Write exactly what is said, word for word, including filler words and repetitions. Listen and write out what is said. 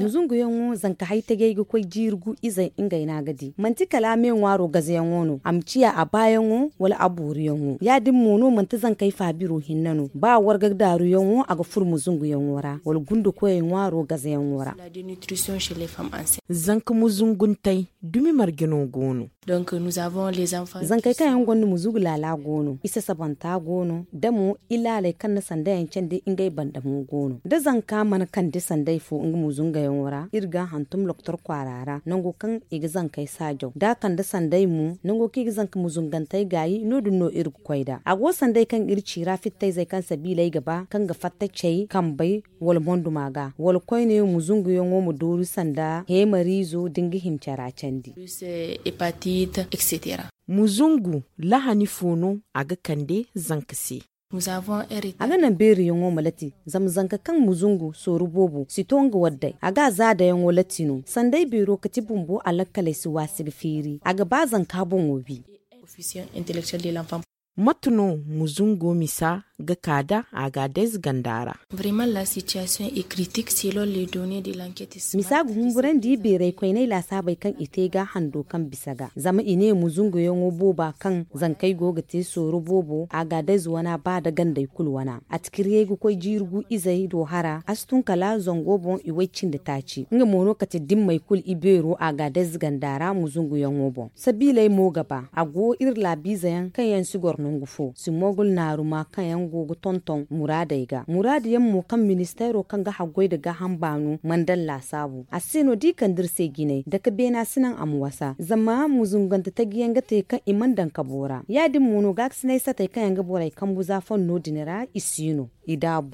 Muzunguyaŋo zanka hay tajay ga koy jiiri gu izey ngey no a ga di manti kala a me ŋwaaro gazayaŋo no a ma ciya a baayaŋo wala a booriyaŋo ya- din mo no manti zankey faabiro hinne no ba warga daaruyaŋo a ga furo muzunguyaŋo ra wala gunde koyey ŋwaaro gazayaŋo ra. Zanka muzunguntey dumi marje no go no? Zankey kaŋ yaŋ gonda muzugu laala go no isasabanta go no da mo ilaaley kaŋ na sandayaŋ candi ngey banda mo go no da zanka mana kande sanday fo nga muzungayaŋo ra iri ga a hantum loktor kwaara ra nango kaŋ i ga zankey saajaw da a kande sanday mo nango kaŋ i ga zanka muzungantey gaayi no- din no iri ga koy nd'a a go sanday kaŋ iri ci ra fittayzey kaŋ sabiiley ga ba kaŋ ga fatta cey kambey wala monduma ga wala koyne muzunguyaŋo ma dooru sanda heemariizo da nga hima cara candi. Muzungu lahani fo no a ga kande zanka se? A ga naŋ beeriyaŋo ma lati zama zanka kaŋ muzungu sooru boobo si to nga waddey a ga a zaadayaŋo lati no sanday beero kati bumbo alakkaley si waasi ga feeri a ga ba zanka boŋo wi. Mate no muzungo misa ga ka da a ga adayze ganda ra? Misa ga humburandi beeray koyney laasaabey kaŋ i te ga hando kaŋ bisa ga zama i ne muzunguyaŋo booba kaŋ zankey go ga te sooro boobo a ga adayze wana ba da gandey kulu wana a tikiriyey ga koy jiiri gu izey do hara a si tun kala zango boŋ i way cindi taaci nga mo no kate dimmey kulu i beero a ga adayze ganda ra muzunguyaŋo boŋ sabiiley mo ga ba a go iri laabiize yaŋ kaŋ yaŋ si goro nangu fo si mogul naaruma kaŋ yaŋ go ga tonton muraadey ga muraadu yaŋ mo kaŋ ministeero kaŋ ga haggoy nda gaaham baano mana daŋ laasaabu a se no da i kande iri se jinay dake beena si naŋ a ma wasa zama muzungante taji yaŋ ga te kaŋ i mana daŋ kabo ra ya- din mo no gaakasinay satey kaŋ yaŋ ga borey kambu za fonno din ra i si no i daabu.